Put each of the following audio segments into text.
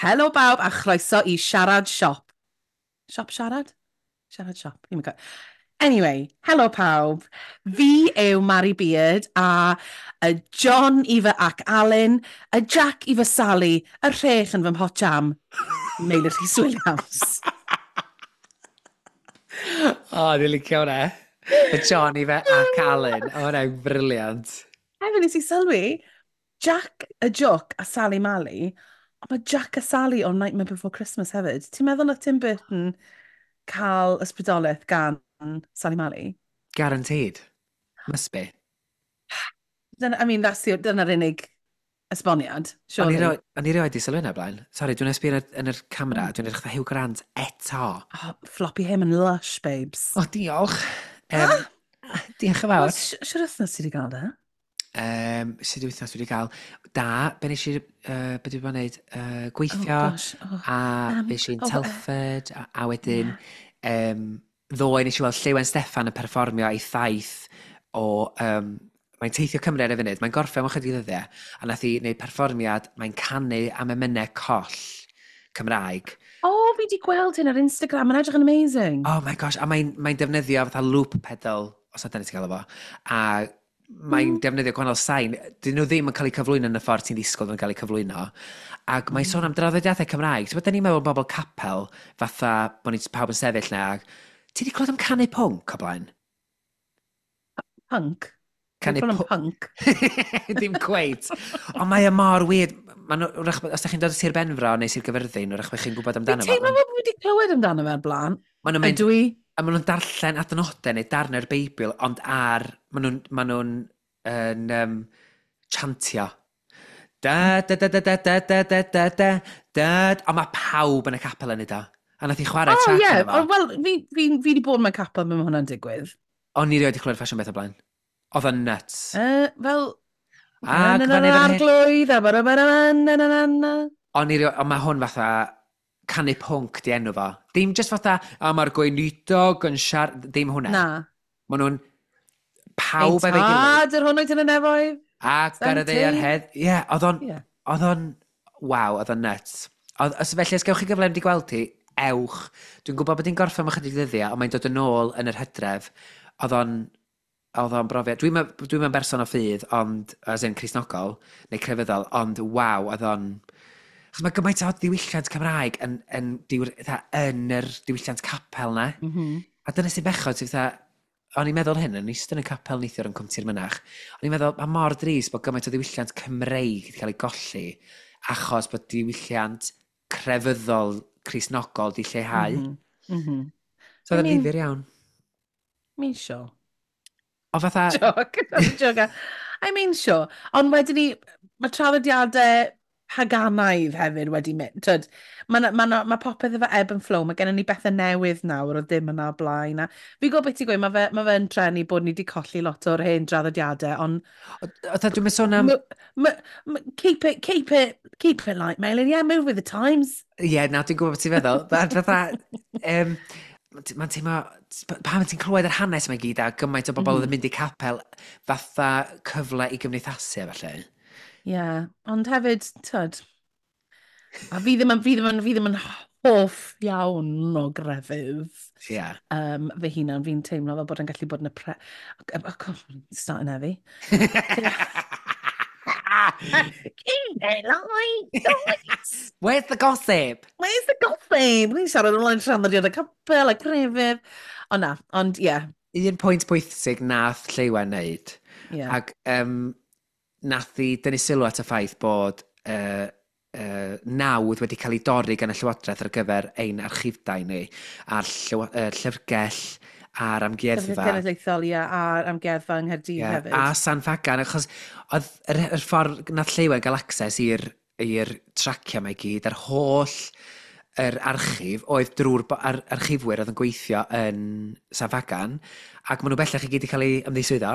Helo bawb a chroeso i Siarad Siop. Siop Siarad? Siarad Siop. Ddim yn gwybod. Anyway, helo pawb. Fi yw Mari Beard a y John i fy ac Alun, y Jack i fy Sally, y rhech yn fy mhot jam, Meilir Rhys Williams. O, oh, dwi'n licio hwnna. Y John i fe ac Alun. O, hwnna'n brilliant. Hefyd nes i sylwi, Jack y Joc a Sally Mally, ond mae Jack a Sally o Nightmare Before Christmas hefyd. Ti'n meddwl na Tim Burton cael ysbrydoliaeth gan Sally Mally? Guaranteed. Must be. Dyna, I mean, that's the, dyna'r unig esboniad, O'n i surely. O'n i rioed di sylwi hynna blaen. Sorry, dwi'n esbio yn yr camera, dwi'n edrych fatha Hugh Grant eto. Oh, floppy him and lush, babes. O, diolch. Um, diolch yn fawr. Wel, Siwr wythnos ti wedi cael de? Sut wythnos dwi wedi cael? Da, be nes i, be dwi wedi bod yn neud? Gweithio, Oh, gosh. Oh. a fe i'n Telford, a wedyn, ddoe nes i weld Lleuwen Steffan yn perfformio ei thaith o... Mae'n teithio Cymru ar y funud, mae'n gorffen mewn chydig ddyddiau, a nath hi wneud perfformiad, mae'n canu am emynau coll Cymraeg. Oh, fi wedi gweld hyn ar Instagram, mae'n edrych yn amazing. Oh my gosh, a mae'n defnyddio fatha loop pedal, os na dyna ti'n gael efo, a mae'n defnyddio gwahanol sain. Dyn nhw ddim yn cael eu cyflwyno yn y ffordd ti'n ddisgwyl yn cael eu cyflwyno. Ac mae'n sôn am draddodiadau Cymraeg. Ti'n bod, da ni'n meddwl bobl capel, fatha bod ni pawb yn sefyll na. Ac ti wedi clywed am canu pwnc o blaen? Punk. Canu Canu punk. Dim cweit. Ond mae e mor weird. Ma' nhw, wrach, os da chi'n dod o Sir Benfro neu Sir Gyfyrddin, wrach bod chi'n gwybod Fi'n amdano fo. teimlo fel bod fi wedi clywed amdano fe o'r blaen. Ma' nhw'n mynd, Ydw i? a maen nhw'n darllen adnodau neu darnau'r Beibl, ond ar, maen nhw'n yn, chantio. Da, da, da, da, da, da, da, da, da, da, da. Ond mae pawb yn y capel yn neud o. A nath i chwarae Oh, track ie. yeah. Oh, wel, fi wedi bod mewn capel pan mae hwnna'n digwydd. O'n i rioed wedi clywed ffasiwn beth o blaen. Oedd o'n nuts. Fel... Ac Na, na, fan na, hyn, fan hyn. arglwydd, a ba, ba, ba, na, na, na, na. O'n i rioed, ond mae hwn fatha canu pwnc di enw fo. Dim just fatha, a mae'r gweinidog yn siarad, dim hwnna. Na. Maen nhw'n pawb Ein efo'i gilydd. Tad yr hwn wyt yn y nefoedd. Ac ar y ddaear hedd. Ie, oedd o'n, oedd o'n, waw, oedd o'n nuts. Oedd, os, felly, os gewch chi gyfle i gweld hi, ewch. Dwi'n gwybod bod hi'n gorffen mewn chydig ddyddiau, ond mae'n dod yn ôl yn yr hydref. Oedd o'n brofiad. Dwi'n dwi berson o ffydd, ond, as in Cristnogol, neu crefyddol, ond waw, oedd o'n... Achos mae gymaint o ddiwylliant Cymraeg fatha, yn yr diwylliant capel na. A dyna sy'n bechod, sy'n fatha, o'n i'n meddwl hyn, o'n i eistedd yn y capel neithiwr yn Cwmtir Mynach. O'n i'n meddwl, mae mor drist bod gymaint o ddiwylliant Cymreig wedi cael ei golli, achos bod diwylliant crefyddol Cristnogol di lleihau. So I oedd o'n mean- ddifyr iawn. I mean, sure. O fatha, Joke. Joke. I mean, sure. Ond wedyn ni, mae traddodiadau paganaidd hefyd wedi mynd. Tyd, mae ma, ma, ma popeth efo ebb and flow. Mae gennym ni bethau newydd nawr o ddim yna o blaen. A fi'n gwybod beth ti'n gweud, mae fe'n trenu bod ni wedi colli lot o'r hen draddodiadau, ond Fatha, dwi'n mynd sôn am... Keep it light, Melin. Yeah, move with the times. Ie, yeah, na, dwi'n gwybod beth ti'n feddwl. Fatha, mae'n teimlo, pan ti'n clywed yr hanes yma i gyd a gymaint o bobl oedd yn mynd i capel, fatha cyfle i gymdeithasu a felly. Yeah, ond hefyd, tyd, a fi ddim yn hoff iawn o grefydd. Fy hunan, fi'n teimlo fel bod yn gallu bod yn y pre... Oh, starting heavy. Keep it light, guys. Where's the gossip? Where's the gossip? Ni'n siarad ymlaen traddodiad y capel a crefydd. Ond na, ond ie. Yeah. Un pwynt pwysig nath Lleuwen wneud, ac nath i dynnu sylw at y ffaith bod nawdd wedi cael ei dorri gan y Llywodraeth ar gyfer ein archifdau ni, a'r llyfrgell a'r amgueddfa. Llyfrgell Genedlaethol, ie, a'r amgueddfa yng Nghaerdydd hefyd. A San Ffagan, achos oedd yr ffordd nath Lleuwen gael access i'r traciau mae gyd, yr holl yr archif oedd drwy'r archifwyr oedd yn gweithio yn San Ffagan, ac maen nhw bellach i gyd wedi cael eu ymddiswyddo.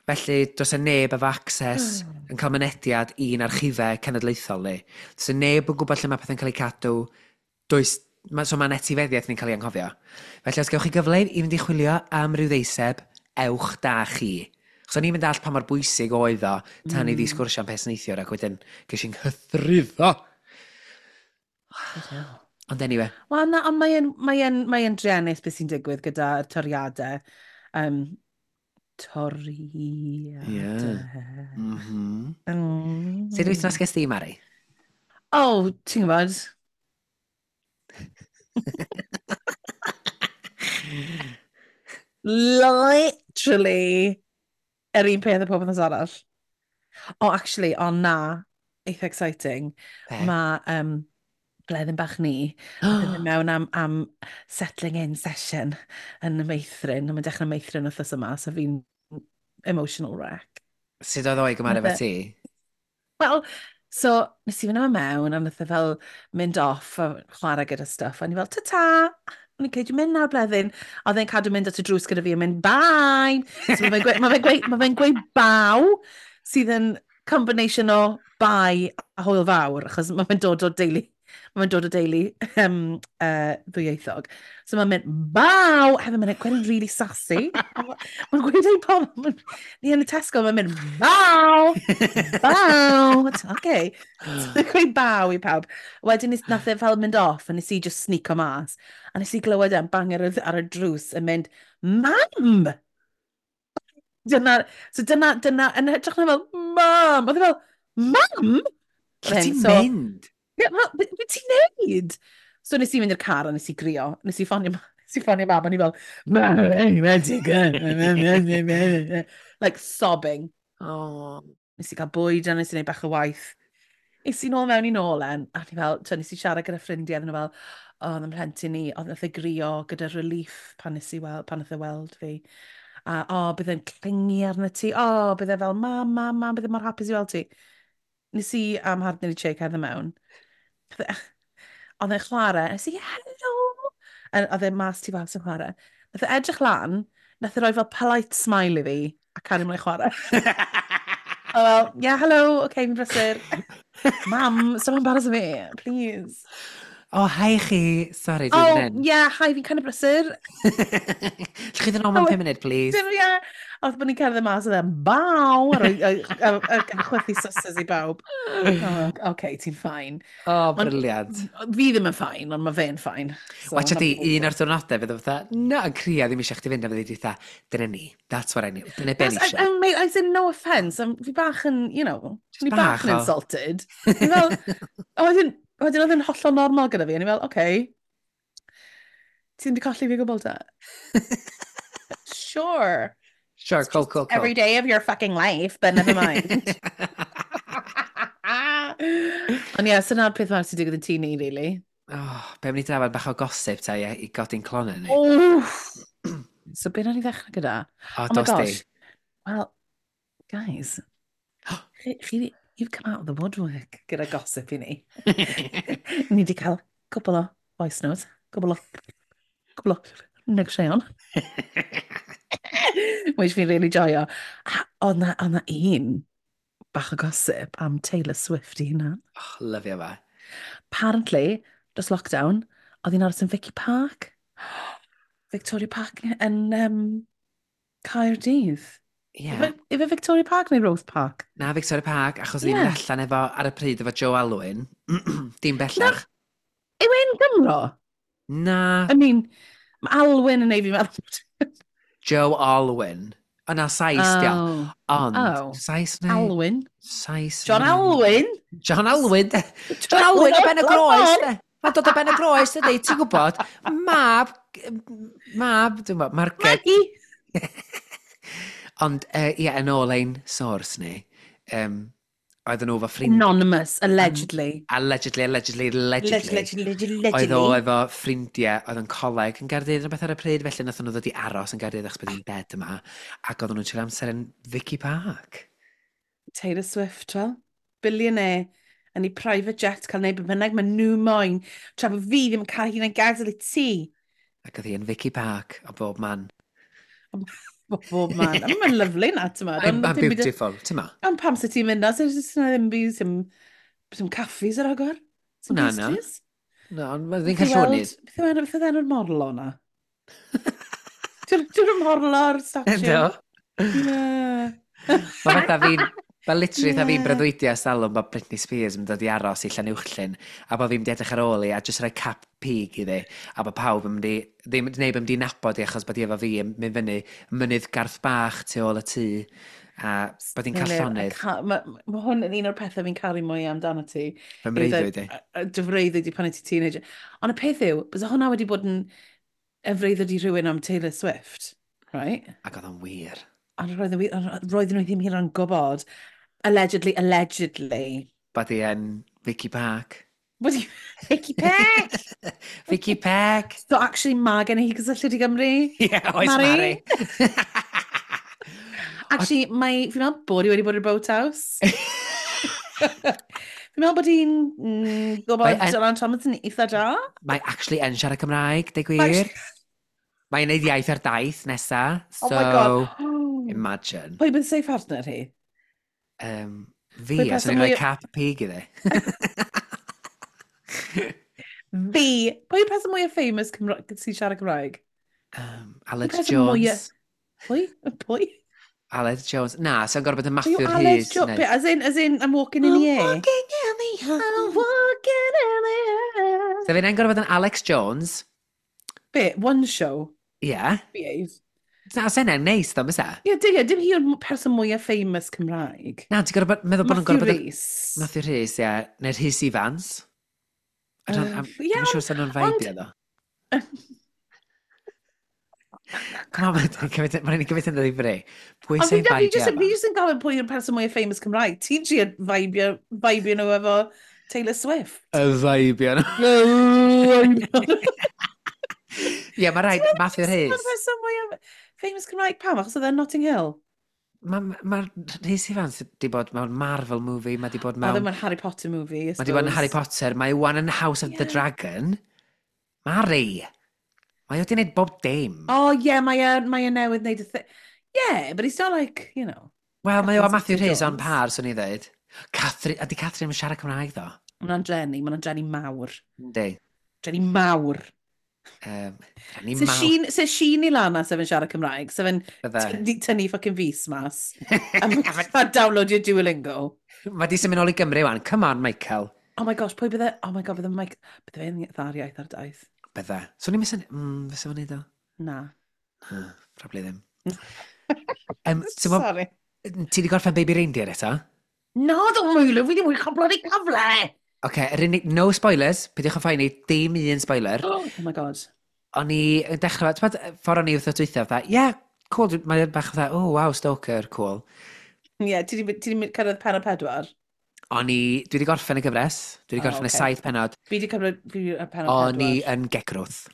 Felly, does 'na neb efo access yn cael mynediad i'n archifau cenedlaethol ni. Does 'na neb yn gwybod lle mae pethau'n cael eu cadw. Does, so mae'n etifeddiaeth ni'n cael ei anghofio. Felly, os gewch chi gyfle i fynd i chwilio am ryw ddeiseb, ewch da chi. Chos o'n i'n mynd all pa mor bwysig oedd o tan i fi sgwrsio am peth neithiwr ac wedyn ges i'n nghythruddo. Ond anyway. Wel, na, ond mae'n mae druenus beth sy'n digwydd gyda'r toriadau. Toriadau. Yeah. Mm -hmm. Sut wythnos ges di, Mari? Oh, ti'n gwybod? Literally, yr un peth y pob wythnos arall. Oh, actually, o na, eitha exciting. Mae bleddyn bach ni, yn mynd mewn am settling in session yn y meithrin. Mae'n dechrau meithrin wythnos yma, so fi'n emotional wreck. Sut oedd o'i gymharu efo ti? Wel, so nes i fynd yma mewn a nath e fel mynd off a chwarae gyda stuff. A ni fel, ta-ta! O'n i'n cael, dwi'n mynd nawr bleddyn. A oedd e'n cadw mynd at y drws gyda fi a mynd, bye! So mae fe'n gweud, ma fe gweud baw, sydd yn combination o bye a hwyl fawr, achos mae fe'n dod o deulu, mae fe'n dod o deulu ddwyieithog. So mae'n mynd, baw! Hefyd mae'n gweud yn really sassy. Mae'n gweud ei pobl, ni yn y Tesco, mae'n mynd, baw! Baw! Okay. So mae'n gweud baw i pawb. Wedyn nath e fel mynd off, a nes i just sneako mas. A nes i glywed e'n bang ar y drws yn mynd, mam! Dyna, so dyna, yn hytrach na fel, mam! Oedd e fel, mam! Lle ti'n mynd? Yeah, be ti'n neud? So nes i fynd i'r car a nes i grio. Nes i ffonio mam, a ni fel, mam, like sobbing. Oh. Nes i gael bwyd a nes i wneud bach o waith. Nes i nôl mewn i nôl en, a ni fel, nes i siarad gyda ffrindiau, a nhw fel, o, oedd yn mhlentyn ni, oedd nath e grio gyda relief pan nes i weld, pan nath e weld fi. A, o, bydd e'n clingi arno ti, o, bydd e fel, mam, mam, mam, bydd e mor hapus i weld ti. Nes i am mhartner i Che cerdded mewn. Oedd e'n chwarae, nes i, hello! Oedd e mas tu fas yn chwarae. Nath e edrych lan, nath e roi fel polite smile i fi, a cario mlaen chwarae. Oh, well, yeah, hello, okay, fi'n brysur. Mam, stop embarrassing me, please. Oh, hi chi. Sorry, dwi'n oh, mynd. Yeah, hi, fi'n kind of brysur. Lle chi ddod nôl mewn 5 munud, please? Yeah. Oedd bod ni'n cerdded mas oedd e'n baw, a chwythu sysys i bawb. Oh, okay, ti'n fine. Oh, brilliant. Fi ddim yn fine, ond mae fe'n fine. So, Watcha di, un o'r diwrnodau fydd o fatha, na, yn crio ddim eisiau chdi fynd, a fyddi di fatha, dyna ni, that's what I need, dyna be ni eisiau. Mate, I said no offence, fi bach yn, you know, fi bach yn insulted. Fi fel, wedyn oedd yn hollol normal gyda fi, a ni fel, okay, ti ddim wedi colli fi gwbl ta? Sure. Sure, cool, cool, cool. Every day of your fucking life, but never mind. Ond ie, so na'r peth mawr sy'n digwydd yn tŷ ni, really. Oh, be mynd i drafod bach o gossip ta i godi'n clonau ni? Oh! So be nawn ni ddechrau gyda? Oh, oh my gosh. Well, guys, chi, you've come out of the woodwork gyda gossip i ni. Ni wedi cael cwbl o voice notes, cwbl o negeseuon. Which fi'n really joio. A oedd na un bach o gossip am Taylor Swift i hunan. Oh, lyfio fe. Apparently, dros lockdown, oedd hi'n aros yn Vicky Park. Victoria Park yn Caerdydd. Yeah. Ife Victoria Park neu Rose Park? Na, Victoria Park, achos yeah. Ddim allan efo, ar y pryd efo Joe Alwyn. Dim bellach. Na, yw e'n Gymro? Na. I mean, mae Alwyn yn ei fi meddwl. Joe Alwyn. O na, Sais, oh. Dio. Ond, oh. Sais neu... Alwyn. Sais John Alwyn? John Alwyn, de. John Alwyn o Ben y Groes, de. Mae'n dod o Ben y Groes, dydy, ti'n gwybod? Mab, dwi'n gwybod, Marged. Maggie! Ond, ie, yn ôl ein source ni, oedden nhw efo ffrind... Anonymous, allegedly. Allegedly, allegedly, allegedly. Allegedly. Oedd o efo ffrindiau, oedd yn coleg yn Gaerdydd yn beth ar y pryd, felly nath nhw ddod i aros yn Gaerdydd achos bod hi'n dead yma, ac oedden nhw'n treulio amser yn Vicky Park. Taylor Swift, wel. Billionaire, yn ei private jet cael neud be bynnag maen nhw moyn, tra bod fi ddim yn cael hunan gadael i ti. Ac oedd hi yn Vicky Park o bob man. Bob man. A mae'n lyflu na, ti'n ma. Mae'n beautiful, ti'n ma. Ond pam sy'n ti'n mynd na? Sy'n ddim byd, sy'n caffis ar agor? Na, na. Na, ond mae'n ddim cael llonydd. Beth oedd enw'r morlo na? Dwi'n morlo o'r statue? Do. Ie. Mae fatha fi'n... Fel literally, yeah. Fi'n breuddwydio ers talwm bod Britney Spears yn dod i aros i Llanuwchllyn a bod fi'n mynd i edrych ar ôl i a jyst rhoi cap pig iddi a bod pawb yn mynd i, ddim, neb yn mynd i nabod i achos bod hi efo fi yn mynd fyny mynydd Garth Bach tu ôl y tŷ a bod hi'n cael llonydd. Mae ma hwn yn un o'r pethau fi'n caru mwy amdano ti. Fy mreuddwyd i. Dy freuddwyd i pan i ti teenager. Ond y peth yw, bysa hwnna wedi bod yn y freuddwyd i rhywun am Taylor Swift, right? Ac oedd o'n wir. Ond roedden nhw ddim hyd yn gwybod. Allegedly, allegedly. Bod hi yn Vicky Park. Bod hi Vicky Peck! Vicky Peck! So actually mae gen i hi gysylltiad i Gymru. Ie, yeah, oes Mari. Actually, mae, fi'n meddwl bod hi wedi bod i'r boathouse. Fi'n meddwl bod hi'n gwybod Dylan Thomas yn eitha da. Mae actually yn siarad Cymraeg, deu gwir. Mae'n neud iaith ar daith nesa. So, oh my God. Imagine. Pwy bydd safe partner hi? Fi, a swn i'n rhoi cap pig iddi. Fi! Pwy yw'r person mwyaf famous sy'n siarad Cymraeg? Aled Jones. Mwyaf... Pwy? Pwy? Aled Jones. Na, sy'n gorfod bod yn Matthew Rhys. Aled Jones? As in, I'm walking in the air. I'm walking in the air. I'm walking in the air. So fi'n gorfod bod yn Alex Jones. Be? One show? Yeah. Behave. Na, os yna'n neis, ddo, mysa? Ie, yeah, dim hi yw'r person mwyaf famous Cymraeg. Na, ti'n gorfod meddwl bod nhw'n gorfod... Matthew Rhys. Matthew Rhys, ie. Yeah. Neu'r Rhys Ifans. I'm siŵr sy'n nhw'n feibio, ddo. Come on, mae'n ni'n gymryd yn ddifri. Pwy sy'n feibio? Fi jyst yn gofyn pwy yw'r person mwyaf famous Cymraeg. Ti'n trio feibio nhw efo Taylor Swift. Y feibio nhw. Ie, mae rhaid, Matthew Rhys. Ti'n person mwyaf famous Cymraeg pam? Achos oedd e'n Notting Hill. Mae ma Rhys Ifans wedi bod mewn Marvel movie, mae wedi bod mewn... Oedd mewn Harry Potter movie, I suppose. Mae wedi bod yn Harry Potter, mae wan yn House of the Dragon. Mari! Mae wedi gwneud bob dim. Oh, yeah, mae e newydd wneud y thing. Yeah, but he's not like, you know... Wel, mae o a Matthew Rhys on par, swn i ddweud. Catherine, ydy Catherine yn siarad Cymraeg, ddo? Mae'n dreni, mae'n dreni mawr. Yndi. Dreni mawr. Se Sheen i Lana sef yn siarad Cymraeg, sef yn tynnu fucking fus mas, a download your Duolingo. Mae di symud nôl i Gymru wan. Come on, Michael. Oh my gosh, pwy bydde... Oh my god, bydde Mike... Bydde fe'n dda'r iaith ar daith. Bydde. So ni'n mynd... Fysa fo'n neud o? Na. Probably ddim. Sorry. Ti di gorffen Baby Reindeer eto? Na, dwi'n mwylio, fi ddim wedi cael bloody cyfle! Oce, yr unig... No spoilers, peidiwch yn phoeni, dim un spoiler. Oh my god. O'n i yn dechrau, ti'n bod, ffordd o'n i wrth dwytha, fatha, yeah, cool, mae'n bach fatha, oh wow, stalker, cool. Ie, yeah, ti di cyrraedd pennod 4? O'n i, dwi wedi gorffen y gyfres, dwi wedi gorffen y 7 pennod. Fi wedi cyrraedd y pennod 4. O'n i yn gegrwth.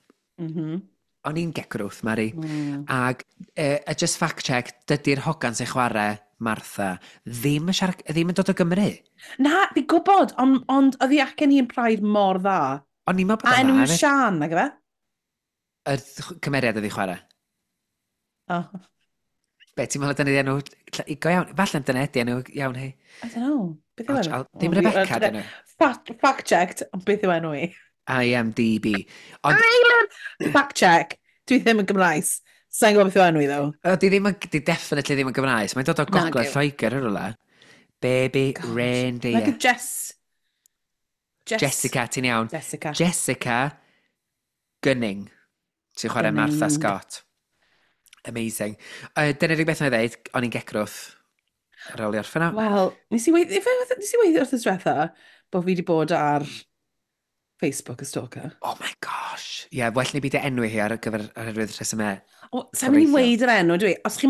O'n i'n gegrwth, Mari. Ag, just fact check, dydy'r hogan sy'n chwarae Martha ddim yn, siarad, ddim yn dod o Gymru. Na, fi'n gwybod, ond oedd hi acen hi'n pride mor dda. O'n i'n meddwl bod o'n dda. A enw yw Sian, nag efe? Y cymeriad oedd hi chwarae. Oh. Be, ti'n meddwl dyna enw... Go iawn, falle dyna ydi enw iawn hi. I don't know. Beth yw enw? Dim Rebecca, dyn nhw. Fact checked, ond beth yw enw i? IMDb. Ond... Fact check, dwi ddim yn Gymraes. Sa'n gwybod beth yw enw i, ddo. Di ddim yn, di definitely ddim yn Gymraes. Mae'n dod o Gogledd Lloegr yn rhywle. Baby Gosh. Reindeer. Like a Jess... Jessica, ti'n iawn. Jessica. Jessica Gunning. Sy'n chwarae Martha Scott. Amazing. Dyna'r unig beth na i ddeud, o'n i'n gegrwth ar ôl i orffen o. Wel, nes i weid wrth y diwetha bod fi wedi bod ar Facebook y stalker. Oh my gosh. Ie, yeah, well ni byd enwi hi ar gyfer oherwydd rhesymau. O, sa'n mynd i weid yr enw, dwi. Os chi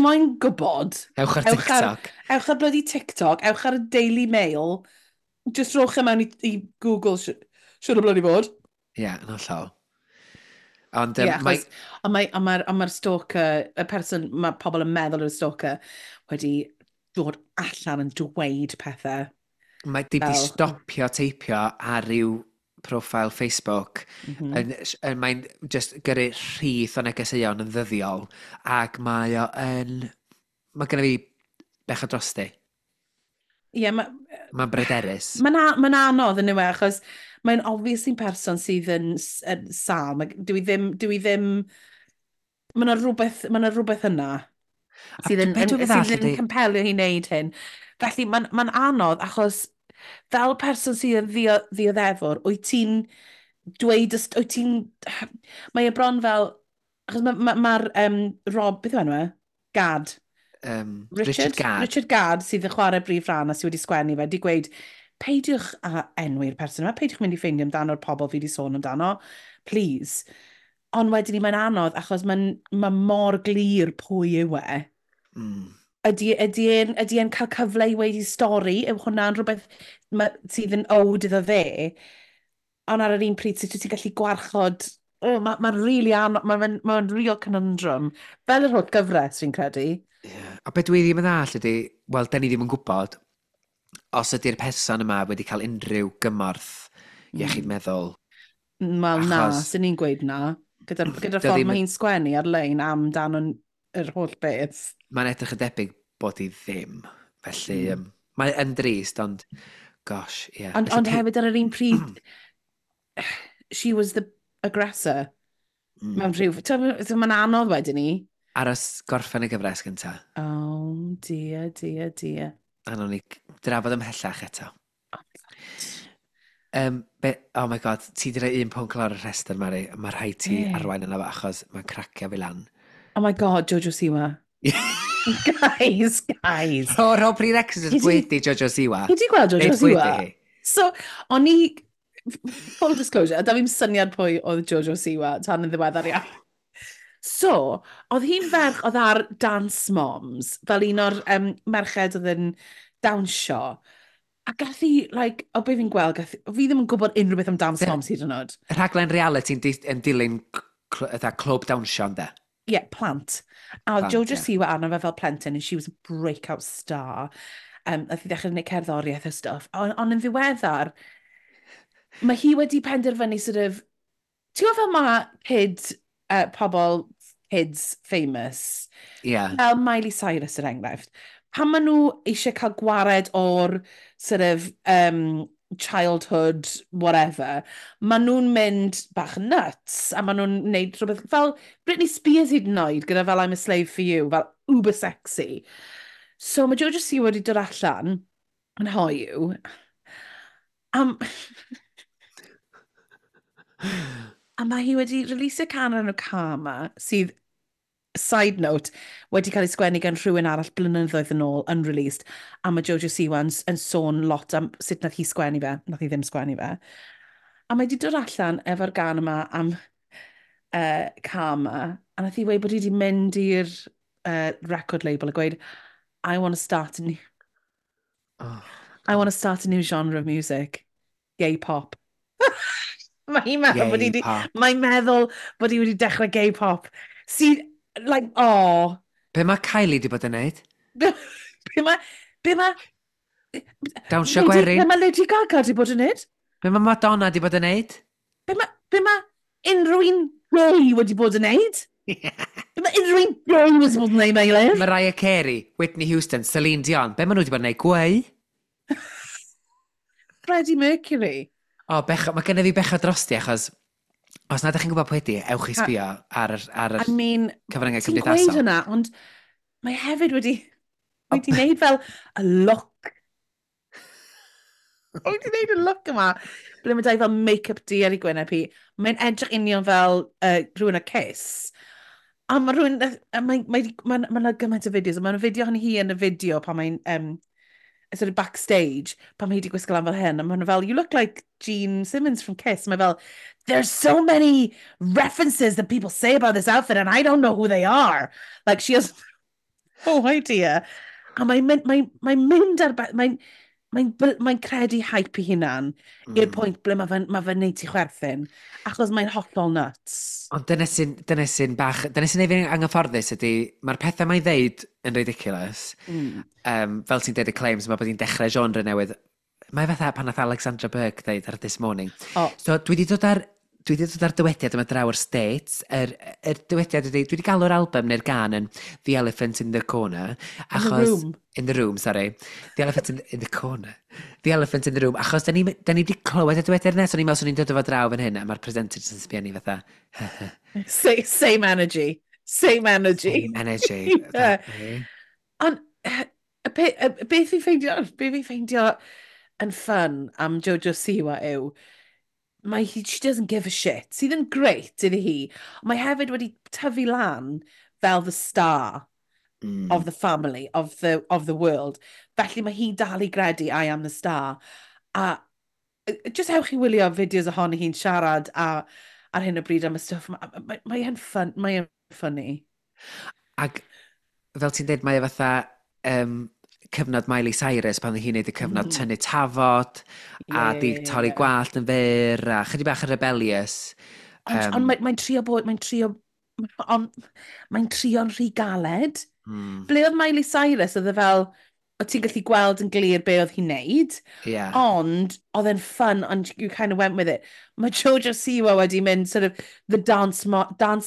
moyn gwybod... Ewch ar TikTok. Ewch ar bloody TikTok, ewch ar y Daily Mail. Just rowch e mewn i Google, siwr o bloody bod. Ie, yeah, yn hollol. Ond yeah, mae'r stalker, y person, mae pobl yn meddwl yw'r stalker, wedi dod allan yn dweud pethau. Mae di stopio teipio ar ryw profile Facebook. Mae'n just gyrru rhith o negeseuon yn ddyddiol ac mae o yn... Mae genna fi bechod drosti. Ie, yeah, mae'n bryderus. Mae'n anodd yn yw e, achos mae'n obviously person sydd yn sâl. Dwi ddim... Mae yna rhywbeth yna. Sydd yn, yn, sydd yn compelio hi wneud hyn. Felly mae'n ma anodd achos fel person sydd yn ddioddefwr, wyt ti'n dweud, wyt ti'n... Mae e bron fel... Achos mae'r ma, ma, ma Rob, beth yw enw e? Gad. Richard Gadd. Richard Gadd sydd yn chwarae brif rhan a sydd wedi sgwennu fe, di gweud, peidiwch a enwi'r person yma, peidiwch mynd i ffeindio amdano'r pobl fi wedi sôn amdano, please. Ond wedyn ni mae'n anodd achos mae'n ma mor glir pwy yw e. Ydy e'n ydy e'n cael cyfle i weud ei stori? Yw hwnna'n rhywbeth ma, sydd yn owed iddo fe? Ond ar yr un pryd, sut wyt ti'n gallu gwarchod... Oh, Mae'n ma really anodd, mae'n ma real conundrum. Fel yr holl gyfres, fi'n credu. Yeah. A beth dwi ddim yn ddall ydy, wel, da ni ddim yn gwybod, os ydy'r person yma wedi cael unrhyw gymorth iechyd meddwl. Wel, na, sy'n ni'n gweud na. Gyda'r gyda ffordd mae hi'n sgwennu ar-lein amdano yr holl beth. Mae'n edrych yn debyg bod hi ddim. Felly, mae yn drist, ond, gosh, ie. Yeah. Ond, ond hefyd ar yr un pryd, she was the aggressor. Mewn rhyw... Mae'n anodd wedyn ni. Aros gorffen y gyfres gynta. Oh, dear, dear, dear. A nawn ni drafod ymhellach eto. Oh, my God. Oh my God, ti di rhoi un pwnc lawr y rhestr, Mari. Mae rhaid ti arwain yna fo achos mae'n cracio fi lan. Oh my God, Jojo Siwa. Guys, guys. Rho prerequisites pwy Jojo Siwa. Chi di gweld Jojo Siwa? So, o'n i, full disclosure, da fi'n syniad pwy oedd Jojo Siwa tan yn ddiweddar iawn. So, oedd hi'n ferch oedd ar Dance Moms, fel un o'r merched oedd yn dawnsio. A gath hi, like, o be fi'n gweld, gath, fi ddim yn gwybod unrhyw beth am Dance Moms hyd yn oed. Rhaglen reality yn dilyn clwb dawnsio, ynddo? Ie, yeah, plant. A oedd Jojo Siwa arno fe fel plentyn, and she was a breakout star. Nath hi ddechrau gwneud cerddoriaeth a stuff. Ond on yn ddiweddar, mae hi wedi penderfynu sort of... Ti'n gwybod fel mae kid, pobl kids famous? Yeah. Fel Miley Cyrus er enghraifft. Pan maen nhw eisiau cael gwared o'r sort of childhood whatever, maen nhw'n mynd bach yn nuts a maen nhw'n gwneud rhywbeth fel Britney Spears hyd yn oed gyda fel I'm a Slave for You, fel uber sexy. So mae Jojo Siwa wedi dod allan yn hoyw. A mae hi wedi releasio can o'r enw Karma, sydd, side note, wedi cael ei sgwennu gan rhywun arall blynyddoedd yn ôl, unreleased, a mae Jojo Siwa yn sôn lot am sut nath hi sgwennu fe, nath hi ddim sgwennu fe. A mae wedi dod allan efo'r gan yma am Karma, a nath hi weud bod hi wedi mynd i'r record label a gweud, I want to start a new... Oh, I want to start a new genre of music. Gay pop. Mae'n meddwl bod hi wedi... Mae'n meddwl bod hi wedi dechrau gay pop. Sydd, like, oh. Be mae Kylie wedi bod yn neud? Be mae... Dawnsio gwerin. Be mae Lady Gaga wedi bod yn neud? Be mae Madonna wedi bod yn neud? Be mae unrhyw un gay wedi bod yn neud? Be mae unrhyw un gay wedi bod yn neud, Meilir? Mariah Carey, Whitney Houston, Celine Dion. Be maen nhw wedi bod yn neud? Gweu? Freddie Mercury. O, bech, mae gennym fi bechod drosti, achos os nad ydych chi'n gwybod pwy ydi, ewch i sbio ar yr, ar yr I mean, cyfryngau ti'n cymdeithasol. Gweud hwnna, ond mae hefyd wedi wneud fel y look. Wedi wneud y look yma, ble mae dau fel make-up di ar ei gwyneb hi. Mae'n edrych union fel rhywun o Kiss. A mae rhywun, mae mae, mae, mae 'na gymaint o fideos, a mae'n fideo hon hi yn y fideo pan mae'n sort of backstage, pan mae hi wedi gwisgo lan fel hyn, a maen nhw fel, you look like Gene Simmons from Kiss. Mae fel, there's so many references that people say about this outfit and I don't know who they are. Like, she has no idea. A mae'n mynd, mae, mae mynd ar... Mae'n mae, mae credu hype i hunan i'r pwynt ble mae fe'n ma fe neud ti chwerthin, achos mae'n hollol nuts. Ond dyna sy'n neud fi'n anghyfforddus ydy, mae'r pethau mae'n ddeud yn ridiculous. Fel ti'n deud y claims, mae bod hi'n dechrau genre newydd. Mae fatha pan nath Alexandra Burke ddeud ar This Morning. Oh. So dwi wedi dod ar dywediad yma draw o'r States. Yr dywediad ydy, dwi wedi galw'r album neu'r gan yn The Elephant in the Corner. Achos, in the Room. In the Room, sorry. The Elephant in the Corner. The Elephant in the Room. Achos da ni wedi clywed y dywediad yna, so ni'n meddwl swn i'n dod o fo draw fan hyn, a mae'r presenter jyst yn sbio ni fatha. Same energy. Same energy. Same energy. Yeah. Ond, beth fi'n ffeindio, beth fi'n ffeindio yn fun am Jojo Siwa yw, mae hi, she doesn't give a shit, sydd yn great iddi hi. Mae hefyd wedi tyfu lan fel the star of the family, of the world. Felly mae hi'n dal i gredu "I am the star." A just ewch i wylio fideos ohoni hi'n siarad a, ar hyn o bryd am y stwff. Mae e'n fun, mae e'n funny. Ac fel ti'n dweud, mae e fatha cyfnod Miley Cyrus pan oedd hi'n neud y cyfnod tynnu tafod a di torri gwallt yn fyr a chydig bach yn rebellious. Ond on mae trio bod, mae'n trio, ond mae'n trio'n rhy galed. Ble oedd Miley Cyrus, oedd e fel, o ti'n gallu gweld yn glir be oedd hi'n neud, ond oedd e'n fun, and you kind of went with it. Mae Jojo Siwa wedi mynd sort of the dance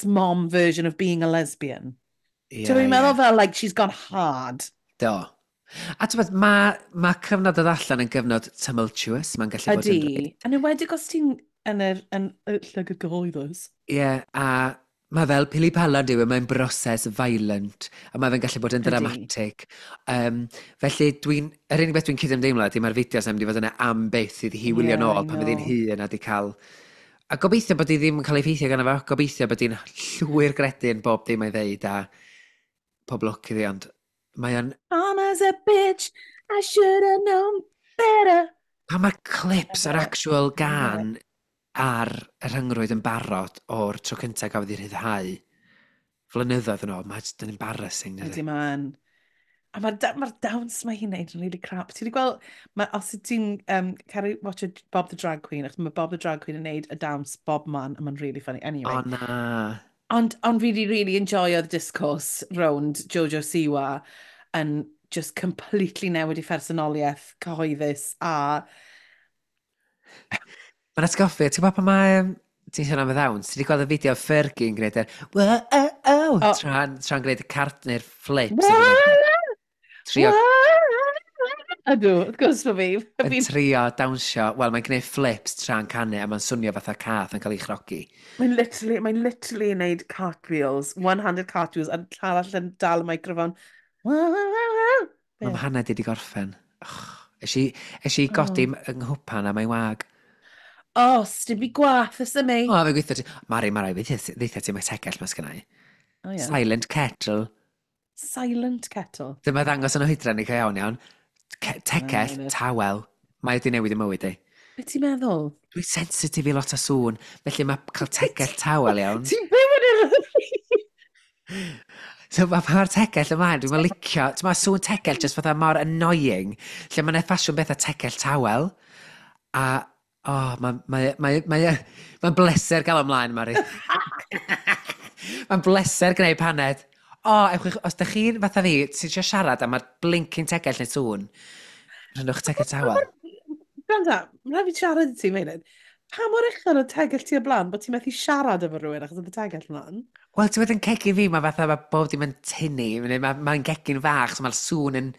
mom version of being a lesbian. Ti'n meddwl fel, like, she's gone hard. Do. A ti'n bod, mae cyfnod o allan yn gyfnod tumultuous, mae'n gallu bod yn. Ydy. Yn enwedig os ti'n yn y llygad gyhoeddus. Ie, yeah, a mae fel pili pala yw, e, mae'n broses violent, a mae fe'n gallu bod yn dramatic. Felly, yr unig beth dwi'n cydymdeimlo ydy mae'r fideos yn mynd i fod yna am byth iddi hi wylio nôl pan fydd hi'n hŷn a di cael. A gobeithio bod hi ddim yn cael ei effeithio gan efo, gobeithio bod hi'n llwyr gredu yn bob dim mae'n ddeud a pob lwc iddi, ond mae o'n. I'm as a bitch, I should have known better. Pa mae'r clips o'r actual gân ar y rhyngrwyd yn barod o'r tro cyntaf gafodd ei rhyddhau flynyddoedd yn ôl, mae jyst yn embarrassing, dydy? Ydy, mae'n. A mae'r ma dawns mae hi'n neud yn really crap. Ti wedi gweld, ma, os wyt ti'n caru watch Bob the Drag Queen, achos mae Bob the Drag Queen yn neud y dawns bob man, a mae'n really funny. Anyway. O na. Ond fi wedi really enjoyo'r discourse rownd Jojo Siwa yn just completely newid i phersonoliaeth cyhoeddus a Mae'n atgoffi, ti'n gwybod pan mae... Ti'n sôn am y ddawns, ti wedi gweld y fideo Fergie yn gwneud yr "Whoa, oh, oh", tra'n gwneud y cart neu'r flips. Trio, Ydw, wrth gwrs bod fi. Yn trio dawnsio, wel, mae'n gwneud flips tra'n canu a mae'n swnio fatha cath yn cael ei chrogi. Mae'n literally yn neud cartwheels, one-handed cartwheels, a arall yn dal y microphone. Mae mhaned i wedi gorffen. Och, es i godi yng nghwpan a mae'n wag. O, sdim byd gwath ys y mi. O, fe gweithio ti. Mari, Mari, ddeitha ti mae tegell mas gennau. Oh, yeah. Silent kettle. Silent kettle. Dyma ddangos yn oedran i cael iawn iawn. Tegell, tawel. Mae wedi newid y mywyd i. Be ti'n meddwl? Dwi'n sensitif i lot o sŵn, felly mae cael tegell tawel iawn. Ti'n byw yn yr So mae mae'r tegell ymlaen, dwi'n licio, ti'n mae sŵn tegell just fatha mor annoying, lle mae'n ffasiwn beth a tegell tawel, a, oh, mae'n mae bleser gael ymlaen, Mari. Mae'n bleser gwneud paned. O, oh, ewch, os da chi'n fatha fi, sy'n eisiau siarad a mae'r blinking tegell neu sŵn, rhynwch tegell tawel. Gwranda, mae'n rhaid fi siarad i ti, Meilir. Pa mor uchel o tegell ti o blaen bod ti'n methu siarad efo rhywun achos oedd y tegell mlaen? Wel, ti'n bod yn cegin fi, mae fatha, mae bob dim yn tynnu, mae'n ma gegin fach, so mae'r sŵn yn.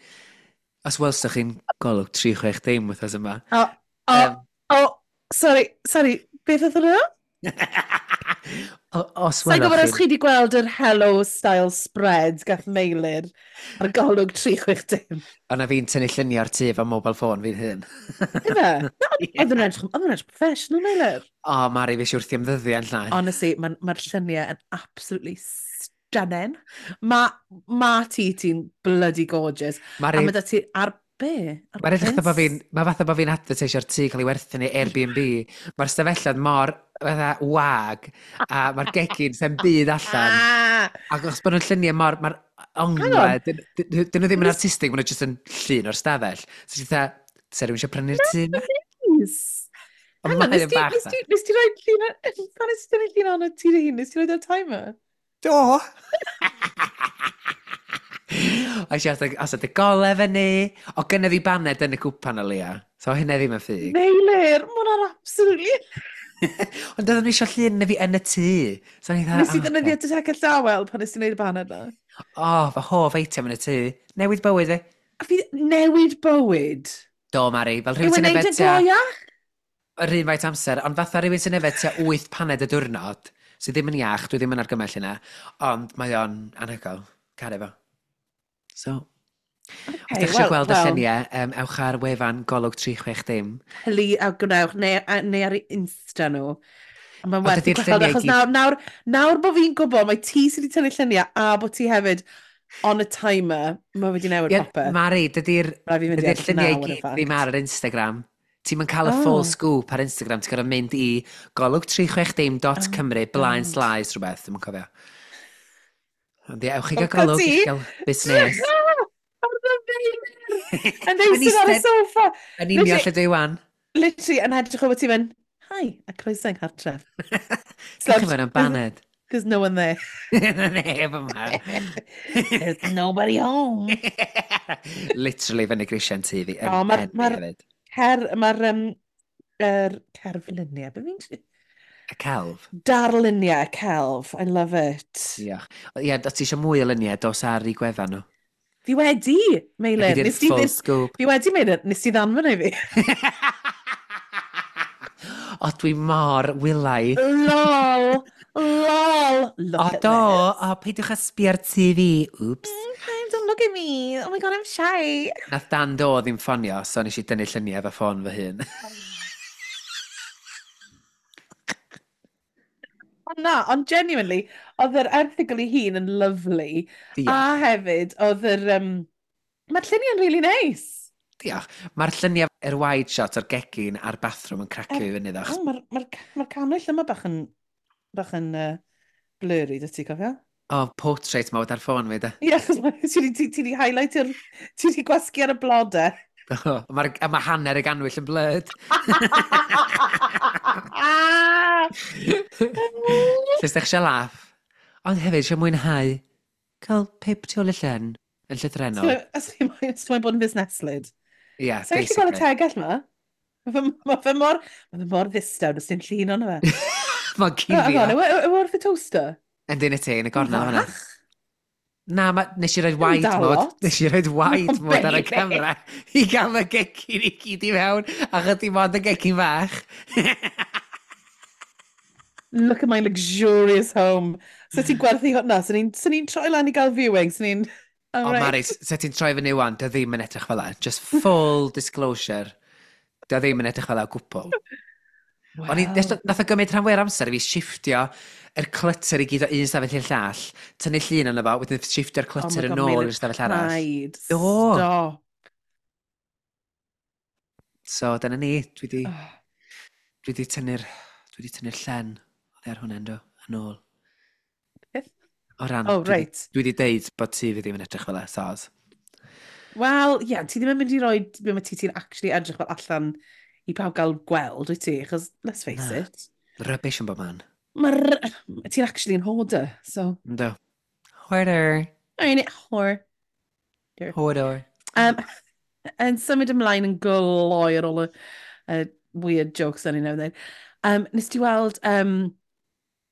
Os welsoch chi'n golwg 360 wythnos yma. O, o, o, sorry, sorry, beth oedd hwnna? O, os Sa'n gwybod os chi wedi gweld yr Hello Style spread gath Meilir ar golwg 360. O'na fi'n tynnu lluniau ar tŷ efo mobile phone fi'n hun. Ife? Oedd yn edrych professional, Meilir. O, Mari, fi wrthi am ddyddiau yn llai. Honestly, mae'r ma lluniau yn absolutely stunning. Mae ma ti'n bloody gorgeous. Mari, a mae da ti ar be? Ar Mae'n edrych fatha bod fi'n, mae fatha bod fi'n advertisio'r tŷ cael ei werthu neu Airbnb. Mae'r stafelloedd mor fatha wag, a mae'r gegin sy'n byd allan. Ac os bod nhw'n lluniau mor, mae'r onglau, dyn nhw ddim yn artistig, maen nhw jyst yn llun o'r stafell. So ti'n fatha, se rhywun eisiau prynu'r tŷ yma? Nice. Ond Hang on, mae nes o'n ti, bach nes dda. ti, nes ti roi llun, pan nes ti dynnu llun ono ti dy hun, nes ti roi o'r timer? Do! A eisiau os ydych gole fyny. O, gynna fi baned yn y cwpan o leia. So hynna ddim yn ffug. Meilir, mae hwnna'n absolutely. Ond oedden nhw eisiau llun na fi yn y tŷ. So o'n i Nes i dda, ddefnyddio dy tegell dawel pan nes ti wneud y baned na? O, fy hoff eitem yn y tŷ. Newid bywyd fi. A fi newid bywyd. Do, Mari, fel Yw rhywun e'n sy'n neud yfed y tua gloiach? Yr un faint amser, ond fatha rhywun sy'n yfed tua 8 paned y diwrnod. Sydd ddim yn iach, dwi ddim yn argymell hynna, ond mae o'n anhygoel. Caru fo. So, okay, os ydych chi'n gweld y lluniau, ewch ar wefan Golwg 360. Hyli a gwnewch, neu ar Insta nhw. Mae'n werth i gweld, achos nawr bod fi'n gwybod, mae ti sydd wedi tynnu lluniau a bod ti hefyd on a timer, mae wedi newid popeth. Mari, dydy'r lluniau i gyd ddim ar yr Instagram. Ti'n mynd cael y full scoop ar Instagram, ti'n gorfod mynd i golwg360.cymru blaen slaes rhywbeth, dwi'n cofio. Ond ie, ewch i gael golwg i gael busnes. Yn eistedd ar y sofa. Yn union lle dwi wan. Literally, yn edrych o bod ti'n mynd, hi, a croeso yng nghartref. Gwch chi fewn am baned. There's no one there. Neb yma. There's nobody home. Literally fyny grisiau'n tŷ fi. O, mae'r mae'r cerfluniau, be fi'n... Y celf. Darluniau, celf. I love it. Diolch. Ie, os ti eisiau mwy o luniau, dos ar i gwefan nhw. Fi wedi, Meilir. Fi 'di'r full scoop. Fi wedi, Meilir. Nes ti ddanfon i fi. O, dwi mor wylaidd. Lol! Lol! Look o, do! O, peidiwch â sbio ar TV. Oops. Don't look at me. Oh my God, I'm shy. Nath Dan Do ddim ffonio, so nes i dynnu lluniau efo ffôn fy hun. O na, ond genuinely, oedd yr erthygl ei hun yn lovely. Diolch. A hefyd, oedd yr... Mae'r lluniau'n really nice. Diolch. Mae'r lluniau yr wide shot o'r gegin a'r bathroom yn cracio i fyny ddo. Mae'r canwyll yma bach yn blurry, dy ti cofio? O, portrait mode ar ffôn fi, de. Ie, achos ti wedi highlight ti wedi gwasgu ar y blodau. A mae hanner y ganwyll yn blurred. Lle ydych eisiau laff. Ond hefyd, eisiau mwynhau cael pip tu ôl y llen yn llythrennol. Os chi'n moyn bod yn fusneslyd. Ie, yeah, basically. Sa'n gallu gweld y tegell ma? Mae fe mor ddistaw, does dim llun ono fe. Mae'n cuddio. Yw wrth y toaster? Yndyn y ti, yn y gornel fan'na. Na, nes i roed wide mode. Nes i roed wide mode ar y camera i gael y gegin i gyd i mewn, a chydig mond y gegin fach. Look at my luxurious home. So ti'n gwerthu hwnna, so ni'n troi lan i gael viewing, so ni'n... O, right. Mari, se ti'n troi fyny wan, dy ddim yn edrych fel 'na. Just full disclosure. Dy ddim yn edrych fel 'na o gwbl. Well. O'n i, nath o gymryd rhan fwy'r amser i fi shifftio yr clutter i gyd o un stafell i'r llall, tynnu llun yna fo, wedyn shifftio'r clutter yn ôl i'r stafell arall. Paid, stop. So, dyna ni, dwi di tynnu'r llen oddi ar hwnna, ynddo, yn ôl. Beth? O ran, oh, right. Dwi di deud bod ti fi ddim yn edrych fel e, soz. Wel, ie, yeah, ti ddim yn mynd i roi be mae ti'n actually edrych fel allan i pawb gael gweld, wyt ti? Achos, let's face it. Rubbish yn bob man. Ti'n actually yn hoarder, so... Ynddo. Hoarder. I mean, hoarder. Hoarder. Yn symud ymlaen yn gloi ar ôl y weird jokes o'n i'n newydd. Nes ti weld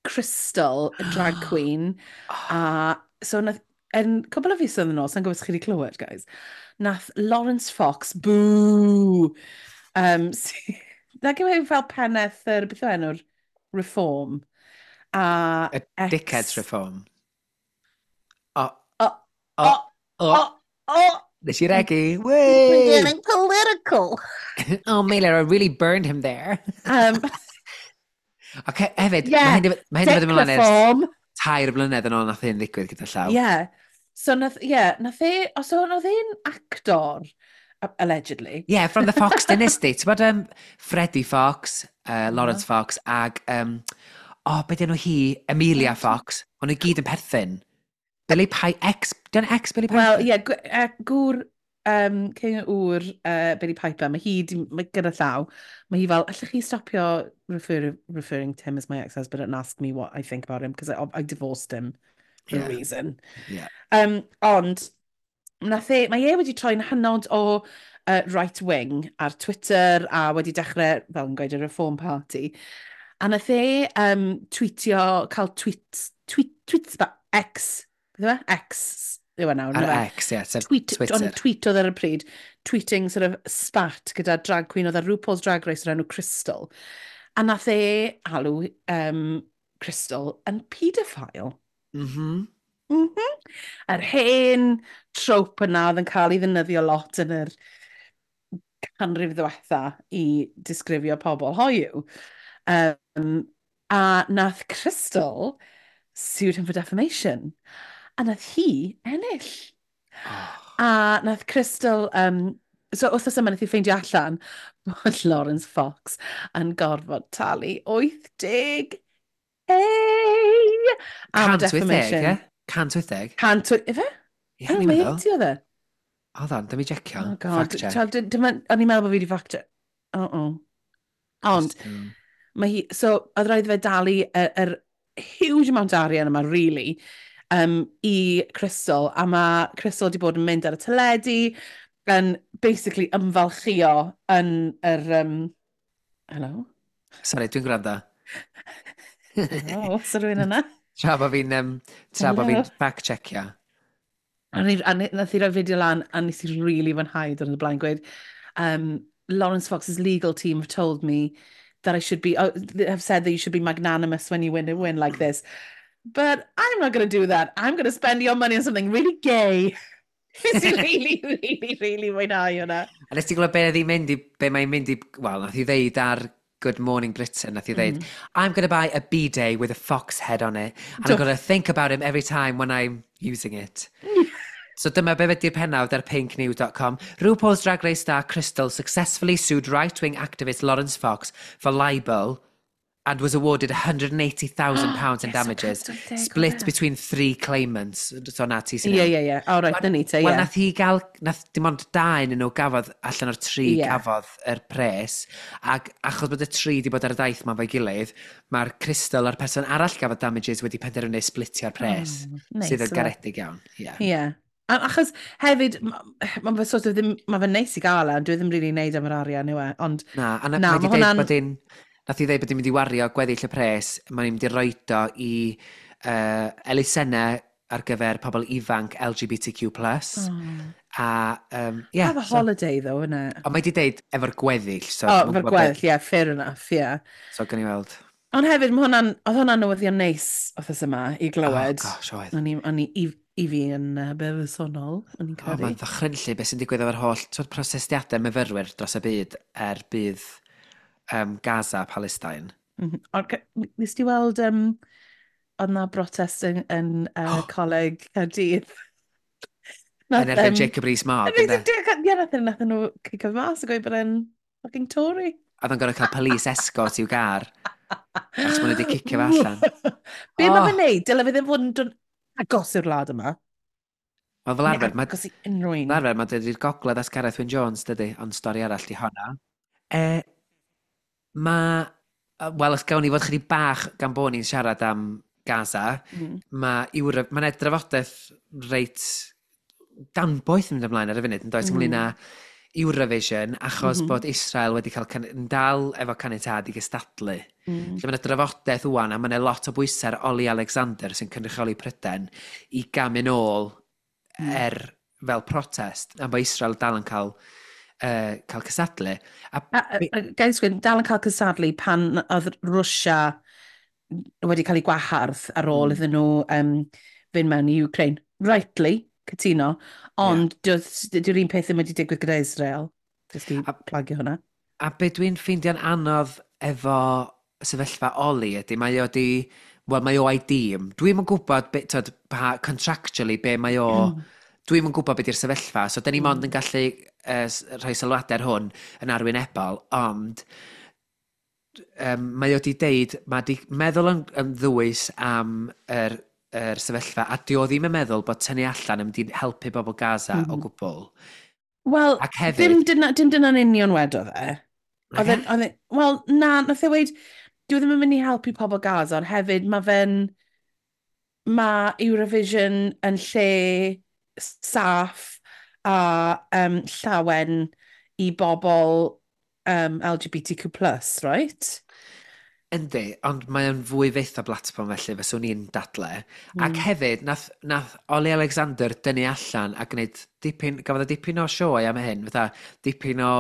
Crystal, y drag queen, a so nath, yn cwbl o fisoedd yn ôl, sa'n gwybod os chi wedi clywed, guys, nath Lawrence Fox, boo! Nag yw e fel pennaeth yr, beth yw enw'r Reform? A y Dickheads Reform. O. O. O. O. O. Nes i regu. We're getting political. Oh, Meilir, I really burned him there. Okay, hefyd, yeah, mae hyn wedi mynd ymlaen ers 3 blynedd yn ôl nath hyn ddigwydd gyda llaw. Yeah. So nath, yeah, nath e, os oedd e'n actor, allegedly. Yeah, from the Fox Dynasty. Ti'n bod Freddie Fox, Lawrence Fox, ag, be di enw hi? Amelia Fox. O'n nhw gyd yn perthyn. Billy Piper, ex, dyna ex Billy Piper? Wel, ie, yeah, gŵr, cyn ŵr Billy Piper, mae hi, mae gyda llaw, mae hi fel, allwch chi stopio referring to him as my ex-husband and ask me what I think about him, because I divorced him for a reason. Yeah. Ond, nath e, mae e wedi troi'n hynod o right wing ar Twitter a wedi dechrau, fel yn gweud, y Reform Party. A nath e tweetio, cael tweet, X, beth yw e? X, yw e nawr. Ar X, ie, sef Twitter. Ond tweet oedd ar y pryd, tweeting sort of spat gyda drag queen oedd ar RuPaul's Drag Race o'r enw Crystal. A nath e alw Crystal yn paedophile. Yr hen trope yna oedd yn cael ei ddefnyddio lot yn yr canrif ddiwetha i disgrifio pobl hoiw. A nath Crystal sued him for defamation. A nath hi ennill. Oh. A nath Crystal... So wythnos yma nath hi ffeindio allan bod Lawrence Fox yn gorfod talu 80 am y 180, defamation. ie? 180? 180, ife? Ie, Oh, ni'n mae meddwl. 80 oedd e? Hold on, dyma i jecio. Oh God. Fact check. Twel, o'n i'n meddwl bod fi wedi fact check. Oh, oh. Ond, mae hi, so, oedd rhaid fe dalu yr huge amount o arian yma, really, i Crystal. A mae Crystal wedi bod yn mynd ar y teledu, yn basically ymfalchio yn yr... Hello? Sorry, dwi'n gwrando. Hello, oes rhywun yna? Tra bod fi'n tra bod fi'n Hello. fact-checio. A nath i roi fideo lan, a nes i really fwynhau dod yn y blaen gweud, "Lawrence Fox's legal team have told me that I should be, oh, they have said that you should be magnanimous when you win a win like this. But I'm not going to do that. I'm going to spend your money on something really gay." Nes i really, really, really mwynhau hwnna. A nes ti glywed be oedd hi'n mynd i, be mae'n mynd i, wel, nath hi ddeud ar Good Morning Britain, nath hi ddeud, "I'm going to buy a bidet with a fox head on it, and I'm going to think about him every time when I'm using it." So dyma be ydy'r pennawd ar pinknews.com. "RuPaul's Drag Race star Crystal successfully sued right-wing activist Lawrence Fox for libel and was awarded £180,000 in Yes, so damages, 180 split oedd e. between three claimants." So na ti sy'n Ie, iawn. ie. Oh, right, na ni te, Wel, ie. nath hi gael, nath dim ond dau yn nhw gafodd, allan o'r tri gafodd yr pres, ac achos bod y tri di bod ar y daith ma fo'i gilydd, mae'r Crystal a'r person arall gafodd damages wedi penderfynu splitio'r pres, Oh, neis, sydd yn yfe? garedig iawn. Ie. Ie. Achos hefyd, ma fe sort of ddim, mae fe'n neis i gael e, ond dwi ddim really neud am yr arian yw e, ond Na, a na, Na, mae ma' di deud bod hi'n, nath hi ddeud bod hi'n mynd i wario gweddill y pres, mae'n mynd i roid o i elusennau ar gyfer pobl ifanc LGBTQ+. Oh. A, yeah, Have a holiday though, innit? Ond mae di deud efo'r gweddill, so... Oh, dwi'm yn efo'r gwbod be- gweddill, yeah, fair enough, yeah. So, gawn ni weld. Ond hefyd, mae hwnna'n, oedd hwnna'n newyddion neis wythnos yma i glywed. Oh, gosh, oedd. O'n i, i fi yn bersonol, o'n i'n Oh, credu. mae'n ddychrynllyd beth sy'n digwydd efo'r holl twyd, protestiadau myfyrwyr dros y byd er budd Gaza, Palestine. Ond nes ti weld, oedd na brotest yn Coleg Caerdydd? Yn erbyn Jacob Rees-Mogg, ynde? Ie, nath nhw cicio mas a gweud bod e'n fucking Tory. Oedd o'n gorfod cael police escort i'w gar. Achos maen nhw wedi cicio fe allan. Be mae Oh. fe'n neud? Dyle fe ddim fod yn dod agos i'r wlad yma. Wel, fel arfer, Neu mae agos i unrhyw un. fel arfer, mae dydy'r gogledd as Gareth Wyn Jones, dydy, ond stori arall di honna. E, mae... Wel, os gawn ni fod chydig bach gan bod ni'n siarad am Gaza, mae Ewro... Mae'n e drafodaeth reit danboeth yn mynd ymlaen ar y funud, yn does, ynglyn â Eurovision, achos bod Israel wedi cael yn dal efo caniatâd i gystadlu. Lle mae yna drafodaeth wan, a mae yna lot o bwysau ar Ollie Alexander sy'n cynrychioli Prydain i gamu'n ôl er fel protest, am bod Israel dal yn cael cystadlu. A, A gai sgwyn, dal yn cael cystadlu pan oedd Rwsia wedi cael ei gwahardd ar ôl iddyn nhw fynd mewn i Ukraine. Rightly, cytuno, ond yeah. Dyw'r un peth ddim wedi digwydd gyda Israel. Jyst i plagio hwnna. A be dwi'n ffeindio'n anodd efo sefyllfa Oli ydy, mae o di, wel, mae o a'i dîm. Dwi'm yn gwybod, be, tyd, pa, contractually, be mae o, dwi'm yn gwybod be di'r sefyllfa, so da ni mond yn gallu rhoi sylwadau ar hwn yn arwynebol, ond mae o di deud, mae di meddwl yn ddwys am yr sefyllfa, a di o ddim yn meddwl bod tynnu allan yn mynd i helpu bobl Gaza o gwbl. Wel, Ac hefyd- dim dyna'n union wedodd e. Oedd wel, na, nath e weud, dyw e ddim yn mynd i helpu pobl Gaza, ond hefyd mae Eurovision yn lle saff a llawen i bobl LGBTQ+, right? Yndi, ond mae o'n fwy fyth o blatfform felly, fyswn i'n dadle. Ac hefyd, nath Ollie Alexander dynnu allan a gwneud dipyn, gafodd o dipyn o sioe am hyn, fatha dipyn o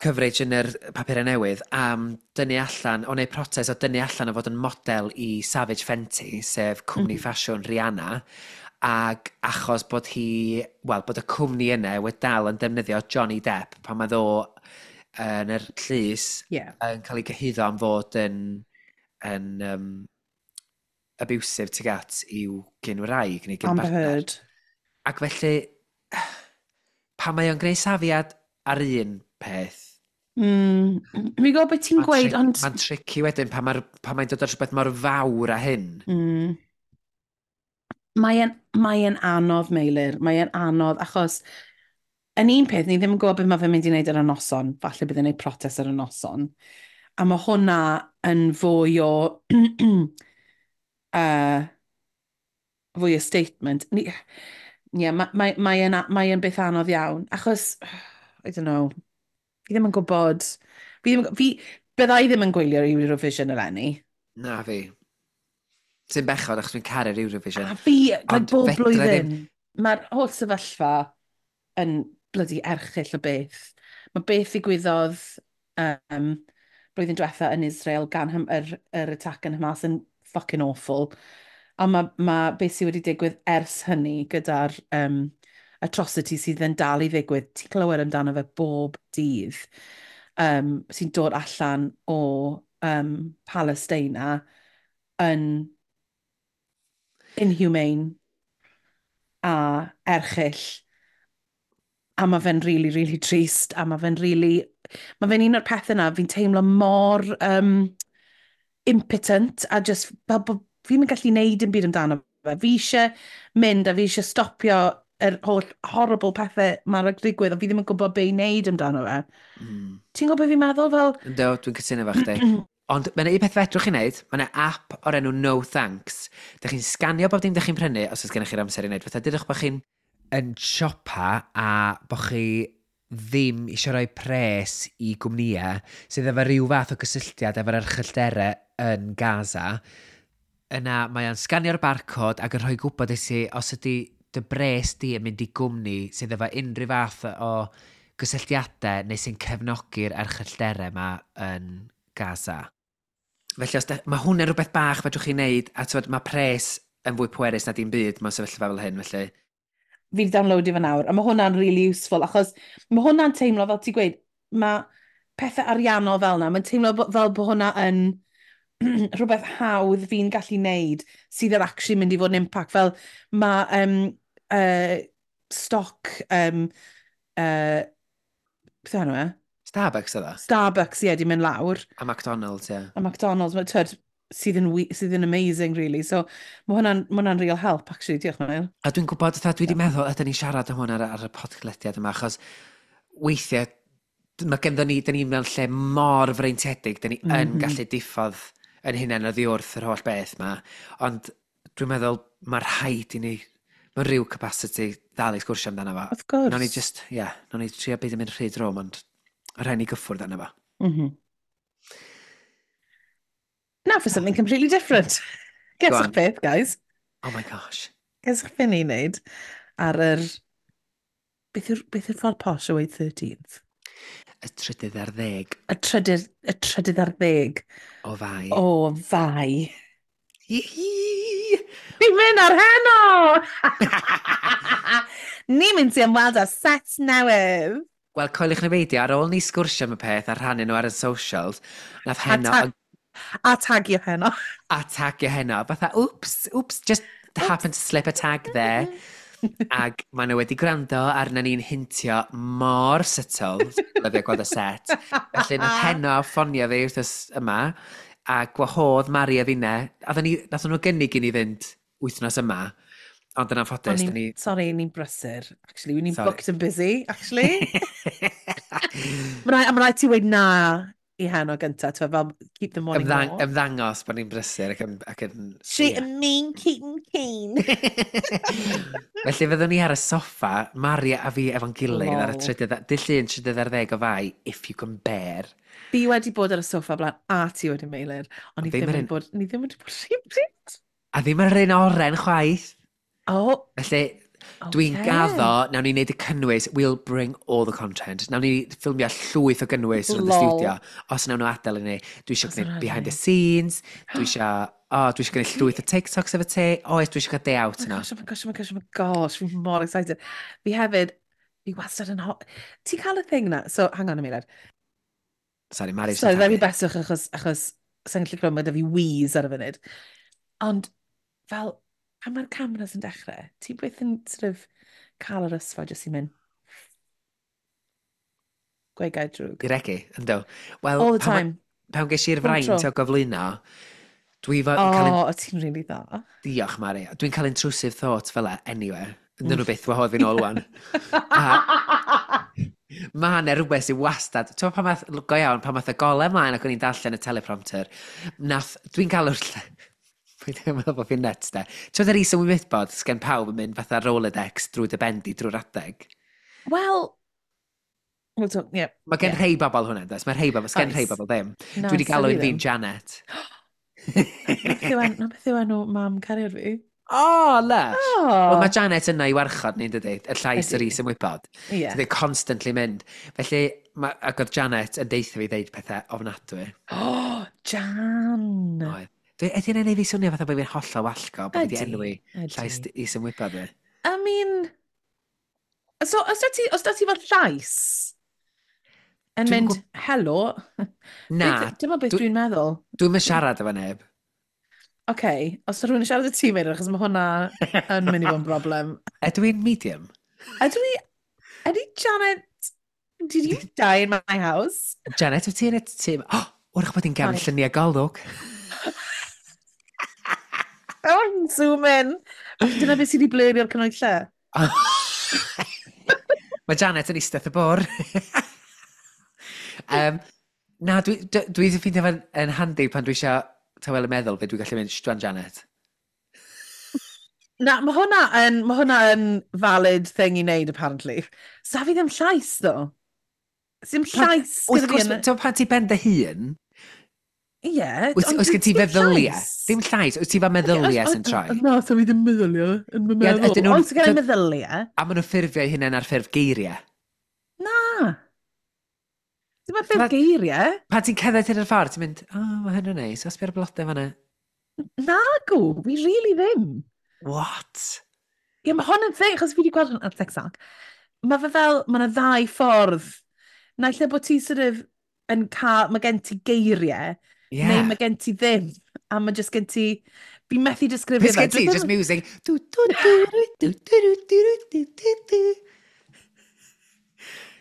Coverage yn yr papurau newydd am dynnu allan, o wneud protest o dynnu allan o fod yn model i Savage Fenty, sef cwmni ffasiwn Rihanna, ac achos bod hi, wel, bod y cwmni yna wedi dal yn defnyddio Johnny Depp pan mae ddo yn yr llys yn cael ei gyhuddo am fod yn abusive tuag at i'w gyn-wraig neu Amber gyn-bartner. Heard. Ac felly, pan mae o'n gwneud safiad ar un peth, Fi'n gwybod beth ti'n gweud, ond Mae'n tricky wedyn pan mae'n dod ar rhywbeth mor fawr â hyn. Mae anodd, Meilir. Mae'n anodd, achos yn un peth, ni ddim yn gwybod beth mae fe'n mynd i wneud ar y noson. Falle bydd e'n gwneud protest ar y noson. A mae hwnna yn fwy o statement. Yeah, mae beth anodd iawn. Achos, I don't know, fi ddim yn gwybod. Fi, byddai ddim yn gwylio'r Eurovision eleni. Na fi. Sy'n bechod achos dwi'n caru'r Eurovision. A fi, like, Ond bob fedra blwyddyn, mae'r holl sefyllfa yn bloody erchyll o beth. Mae beth ddigwyddodd blwyddyn diwetha yn Israel gan yr attack yn Hamas yn fucking awful. A mae beth sydd wedi digwydd ers hynny gyda'r atrocity sydd yn dal i ddigwydd, ti'n clywed amdano fe bob dydd, sy'n dod allan o Palestina yn inhumane a erchyll. A mae fe'n really, really trist. A mae fe'n really... Mae fe'n un o'r pethau yna, fi'n teimlo mor impotent a just fel bod fi'n mynd gallu neud dim byd amdano fe. Fi eisiau mynd a fi eisiau stopio yr holl horrible pethau mae'r digwydd, ond fi ddim yn gwybod be i wneud amdano fe. Ti'n gwybod beth fi'n meddwl? Fel, Yndw, dwi'n cytuno efo chdi. Ond mae'n un peth fedrwch chi wneud, mae'n app o'r enw No Thanks. Dych chi'n sganio bob dim dych chi'n prynu os oes gennych chi'r amser i wneud. Fatha, dydych bod chi'n yn siopa a bod chi ddim eisiau rhoi pres i gwmnïau sydd efo rhyw fath o gysylltiad efo'r erchyllterau yn Gaza, yna mae o'n sganio'r barcode ac yn rhoi gwybod i ti os ydy dy bres di yn mynd i gwmni sydd efo unrhyw fath o gysylltiadau neu sy'n cefnogi'r erchyllterau yma yn Gaza. Felly, os mae hwnna'n rhywbeth bach fedrwch chi wneud, a t'wod, mae pres yn fwy pwerus na dim byd mewn sefyllfa fel hyn, felly. Fi wedi downloadio fe nawr, a mae hwnna'n really useful, achos mae hwnna'n teimlo, fel ti'n gweud, mae pethau ariannol fel yna, mae'n teimlo fel bod hwnna yn rhywbeth hawdd fi'n gallu neud sydd yn actually mynd i fod yn impact. Fel mae stoc, beth yw enw e? Starbucks oedd o? Starbucks, ie, di mynd lawr. A McDonald's, ie. A McDonald's, mae, twyd, sydd yn amazing, really. So, ma hwnna'n real help, actually. Diolch, Mael. A dwi'n gwybod, fatha, dwi wedi meddwl, ydyn ni'n siarad am hwn ar y podlediad yma, achos weithiau, mae genddo ni, dyn ni mewn lle mor freintiedig, dyn ni yn gallu diffodd yn hunain oddi wrth yr holl beth yma, ond dwi'n meddwl mae rhaid i ni, mewn rhyw capacity, ddal i sgwrsio amdano fo. Of course. Nawn ni just, ie, yeah, nawn ni trio beidio mynd rhy drwm, ond mae rhaid ni gyffwrdd arno fo. Now for something completely different. Go Guess on. beth, guys. Oh my gosh. Guess beth ni'n neud ar yr... Beth yw'r ffordd posh o weud 13th? Y 13. Y 13 o Fai. O Fai. Hihi! Ni'n mynd ar heno! Ni'n mynd i ymweld â set newydd. Wel, coeliwch neu beidio, ar ôl ni sgwrsio am y peth a rhannu nhw ar y socials, nath A, Heno a tagio Heno. A tagio Heno. Fatha, "Oops, oops, just happened to slip a tag there." Ac maen nhw wedi gwrando arna ni'n hintio mor subtle, lyfio gweld y set. Felly nath Heno ffonio fi wythnos yma, a gwahodd Mari a finne. A ni, nath nhw gynnig i ni fynd wythnos yma, ond yn anffodus, O'n dyn ni Sorry, ni'n brysur. Actually, ni'n Sorry. booked and busy, actually. Ma raid ti weud na i Heno gynta, ti'n fel, keep them wanting more. Ymddangos bod ni'n brysur ac yn She ie. mean keeping keen. Felly fyddwn ni ar y soffa, Mari a fi efo'n gilydd ar y Lol. trydydd, dydd Llun 13 o Fai, if you can bear. Fi wedi bod ar y soffa blaen a ti wedi, Meilir, ond ni Ond ddim ddim yr wedi bod, ni ddim wedi bod rhywbryd. A ddim yr un oren chwaith. Oh, Felly, Dwi'n gaddo, nawn ni wneud y cynnwys, we'll bring all the content. Nawn ni ffilmio llwyth o gynnwys yn y studio, os nawn nhw adael i ni. Dwi eisiau gwneud behind the scenes, dwi eisiau, oh, dwi eisiau gwneud llwyth o TikToks efo ti. Oes, dwi eisiau cael day out yna. Oh my gosh, oh my gosh, oh my gosh, fi'n mor excited. Fi hefyd, fi wastad yn ho... Ti'n cael y thing na? So, hang on a minute. Sorry, Mari. Sorry, dda fi beswch achos sa'n gallu clywed, mae da fi wheeze ar y funud. Ond, fel, pan mae'r cameras yn dechrau, ti byth yn sort of cael yr ysfa jyst i mynd gweud gair drwg. I regu, ynddo. Well, all the time. Pan ges i'r fraint o gyflwyno, dwi fo... O, cael... oh, ti'n really dda. Diolch, Mari. Dwi'n cael intrusive thoughts fel e, anyway. Ydyn nhw byth wahodd fi'n ôl wan. A mae yna rhywbeth sy'n wastad... Ti'n pan math, go iawn, pan math y golau ymlaen ac o'n i'n darllen y teleprompter, nath... Dwi'n cael yr... Dwi'n meddwl bod fi'n nuts, de. Ti'n meddwl yr is-ymwybod sgen pawb yn mynd fatha Rolodex drwy dy bendi drwy'r adeg? Wel, we'll talk, yeah. Mae gen rhai bobl hwnna, does? Mae rhai bobl, sgen rhai bobl ddim. No, dwi wedi galw un fi'n Janet. Na beth yw enw mam cariad fi? O, oh, lush. Oh. Wel, mae Janet yna i warchod ni'n dydy, y llais yr is ymwybod. Yeah. So they're constantly mynd. Felly, ma, ac oedd Janet yn deitha fi ddeud pethau ofnadwy. Oh, Jan! Oedd. Dwi, ydy hynny'n ei fi swnio fatha bod fi'n hollol wallgo, bod fi wedi enwi llais is ymwybod fi? I mean... So, os da ti, os da ti fel llais yn mynd, helo... Na. Dyma beth dwi'n meddwl. Dwi'n mynd siarad efo neb. Oce, okay, os rhywun yn siarad y ti, Meilir, achos mae hwnna yn mynd i fod yn broblem. Ydw i'n medium? Ydw i... Ydy Janet... Did you die in my house? Janet, wyt ti yn y tîm? Oh, wrach bod hi'n gefn lluniau golwg. Oh, zoom in. Dyna beth sydd wedi blurio'r cynnwys lle. Mae Janet yn eistedd y bwr. Na, dwi, dwi, dwi ffeindio fe'n yn handi pan dwi eisiau tawelu meddwl fe dwi'n gallu mynd, sdwan Janet. Na, mae hwnna yn, mae hwnna yn valid thing i wneud, apparently. Sa fi ddim llais, ddo. Sim llais gyda fi yn... Ti'n pan ti ben dy hun, Ie. Oes gen ti feddyliau? Dim llais, oes ti fel meddyliau sy'n troi? Na, so fi ddim meddyliau yn fy meddwl. Oes gen i meddyliau? A maen nhw'n ffurfio eu hunain ar ffurf geiriau? Na. Dim ar ffurf geiriau. Pan ti'n cerdded hyn o'r ffordd, ti'n mynd, o, oh, mae hyn yn neis, os by'r blodau fanna. Na, gw, fi really ddim. What? Ie, mae hwn yn thing, achos fi wedi gweld hwn ar TikTok. Mae fe fel, mae yna ddau ffordd. Naill ai bod ti sort of yn cael, mae gen ti geiriau, yeah. Neu mae gen ti ddim. A mae just gen ti... Fi methu disgrifio fe. Gen ti, just music. Du, du, du, du, du, du, du, du, du.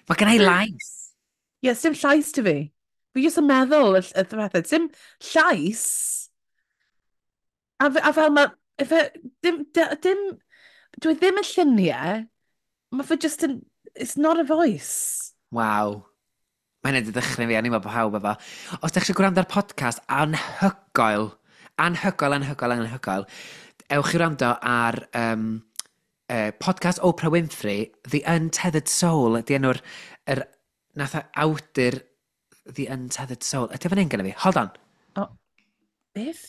Mae gen i lais. Ie, yeah, dim llais ti fi. Fi jyst yn meddwl y pethau. Dim llais. A, a fel mae... Fe, dim, dim, dwi ddim yn lluniau. Mae fe just yn... It's not a voice. Wow. Mae'n edrych dychryn fi, a ni'n meddwl bod pawb efo. Os ydych chi'n gwrando ar podcast anhygoel, anhygoel, anhygoel, anhygoel, ewch i wrando ar podcast Oprah Winfrey, The Untethered Soul, ydy enw'r, er, nath awdur The Untethered Soul. Ydy fan hyn gyda fi? Hold on. Oh, beth?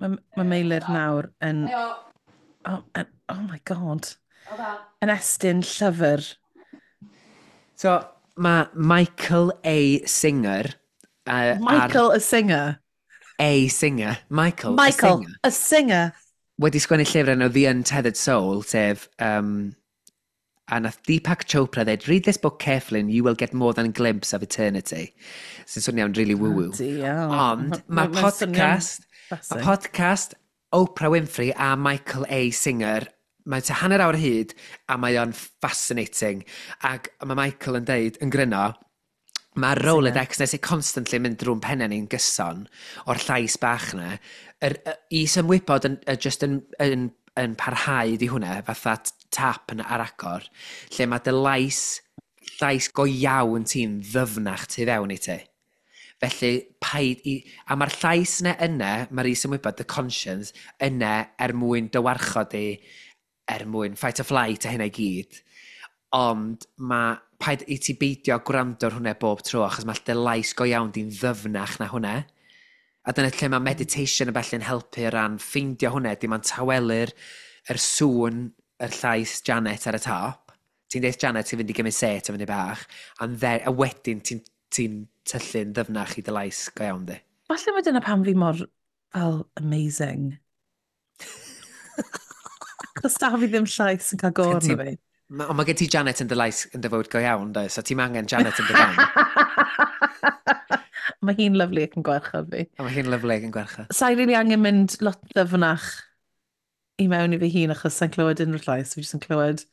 Mae ma Meilir nawr yn... Oh, oh my god. Yn estyn llyfr. So, mae Michael A. Singer... Michael A. Singer? A. Singer. Michael, Michael A. Singer. A Singer. Wedi sgwennu llyfr enw The Untethered Soul, sef... a nath Deepak Chopra dweud, read this book carefully and you will get more than a glimpse of eternity. Sy'n swnio'n really woo-woo. Ond mae podcast, mae podcast Oprah Winfrey a Michael A. Singer mae'n tua hanner awr hyd a mae o'n fascinating. Ac mae Michael yn deud, yn gryno, mae'r Rolodex nes i constantly mynd drwy'n pennau ni'n gyson o'r llais bach na. Yr is-ymwybod yn, just yn parhau di hwnna, fatha tap yn ar agor, lle mae dy lais, llais go iawn ti'n ddyfnach tu fewn i ti. Felly, paid i... A mae'r llais yna yna, mae'r is-ymwybod, the conscience, yna er mwyn dy warchod di, er mwyn fight or flight a hynna i gyd. Ond mae paid i ti beidio gwrando ar hwnna bob tro, achos mae dy lais go iawn di'n ddyfnach na hwnna. A dyna lle mae meditation yn bellu'n helpu o ran ffeindio hwnna, dim ond tawelu'r yr sŵn, yr llais Janet ar y top. Ti'n deud Janet ti'n fynd i gymryd set o fyny bach, and then, a wedyn ti'n ti tyllu'n ddyfnach i dy lais go iawn di. Falle mae dyna pam fi mor, fel, amazing. Achos da fi ddim llais yn cael go arno fi. Ond mae gen ti Janet yn dy lais yn dy fywyd go iawn, does? So ti'n angen Janet yn dy ben. Mae hi'n lyflu ac yn gwerchod fi. A mae hi'n lyflu ac yn gwerchod. Sa'i rili angen mynd lot ddyfnach i mewn i fi hun achos sa'n clywed unrhyw llais. Fi jyst yn clywed...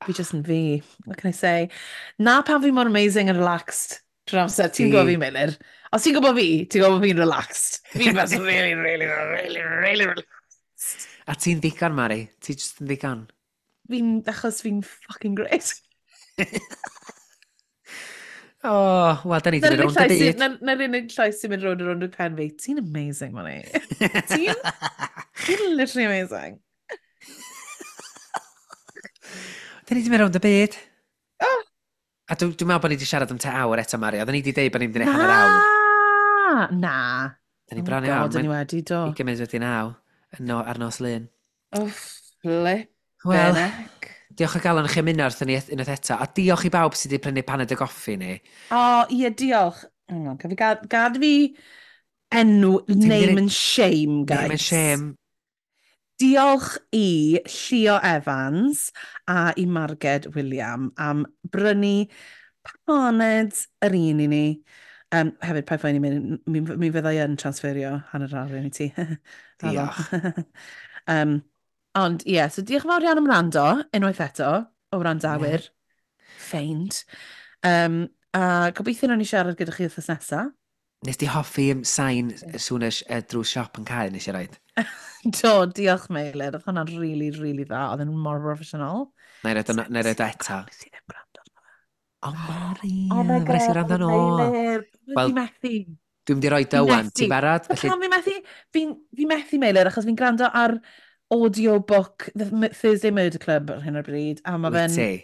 Fi jyst yn fi. What can I say? Na pam fi mor amazing and relaxed trwy'r amser. Ti'n gwybod fi, Meilir? Os ti'n gwybod fi, ti'n gwybod fi'n relaxed. Fi'n person really, really, really, really relaxed. A ti'n ddigon, Mari. Ti jyst yn ddigon. Fi'n, achos fi'n fucking great. Oh, wel, da ni wedi mynd rownd y byd. Na'r unig llais sy'n mynd rownd a rownd y pen fi. Ti'n amazing, Mari. Ti'n literally amazing. Da ni wedi mynd rownd y byd. Oh. A dwi'n dwi meddwl bod ni wedi siarad am te awr eto, Mari. Oedden ni wedi deud bod ni'n mynd i wneud hanner awr. Na. Da ni bron iawn. Oh God, ni wedi, do. I gymryd wedi naw no, ar nos Lun. Oh, flip. Wel, diolch o galon i chi ymuno wrthyn ni unwaith eto. A diolch i bawb sydd wedi prynu paned y goffi ni. O, oh, ie, diolch. Hang on, fi gad, gad fi enw, name and shame, guys. Name and shame. Diolch i Llio Evans a i Marged William am brynu paned yr un i ni. Hefyd, paid phoeni, mi, mi fyddai yn transferio hanner arian i ti. Diolch. Ond ie, yeah, so diolch yn fawr iawn am wrando, unwaith eto, o wrandawyr. Yeah. Ffeind. A gobeithio nawn ni siarad gyda chi wythnos nesaf. Nes di hoffi sain sŵn y drws siop yn cael nes i roed? Do, diolch Meilir. Oedd hwnna'n really, really dda. Oedd yn mor professional. Na i roed o eto. Nes i ddim gwrando arno fe. O, Mari. Oh my God, Nes i wrando nôl. Meilir. Wel, fi methu. Dwi'n mynd i roi dywan. Ti'n barod? Felly... Pam fi methu? Fi'n fi methu, Meilir, achos fi'n gwrando ar audiobook The Thursday Murder Club ar hyn o bryd. A mae fe'n...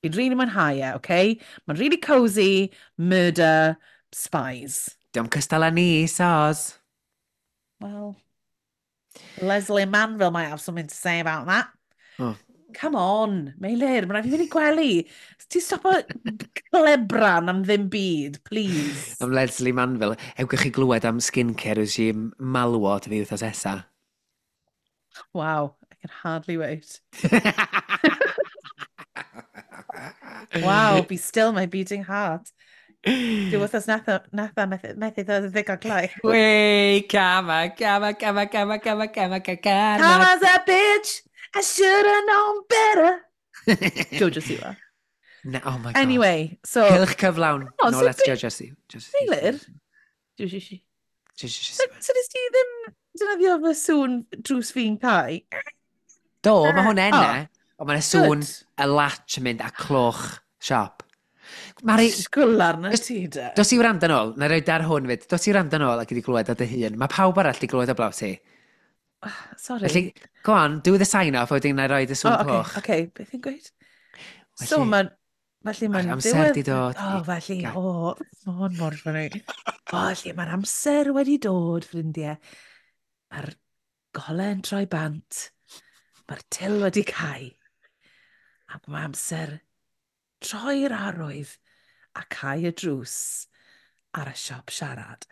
Fi'n really mwynhau e, okay? Mae'n really cozy, murder, spies. Diolch cystal â ni, soz. Well, Leslie Manville might have something to say about that. Oh. Come on, Meilir, mae'n rhaid fi fynd i gwely. Ti stopo clebran am ddim byd, please. Am Leslie Manville. Ewch chi glywed am skincare regime malwod fi wythnos esa. Wow, I can hardly wait. Wow, be still my beating heart. Dwi wythnos netha, netha methu, methu ddod yn ddigon gloi. Wei, cama, cama, cama, cama, cama, cama, cama. Karma's a bitch, I should have known better. Jojo Siwa. No, oh my God. Anyway, so... Cylch cyflawn. Oh, no, so let's Jojo Siwa. Meilir? Jojo Siwa. So nes ti ddim defnyddio fy sŵn drws fi'n cau? Do, mae hwn enna. Ond mae'n sŵn y latch yn mynd a cloch siop. Mari... Sgwl arna ti, de. Dos i wrando nôl, na roi dar hwn fyd. Dos i wrando nôl ac i di glywed o dy hun. Mae pawb arall di glywed o blaw ti. Sorry. Felly, go on, do the sign off, wedyn na roi dy sŵn cloch. Oce, okay, beth i'n gweud? So, mae'n... Felly mae'n amser di dod. O, felly, o, mae hwn mor funny. O, felly mae'r amser wedi dod, ffrindiau. Mae'r golau yn troi bant. Mae'r til wedi cau. Ac mae amser troi'r arwydd a cau y drws ar y siop siarad.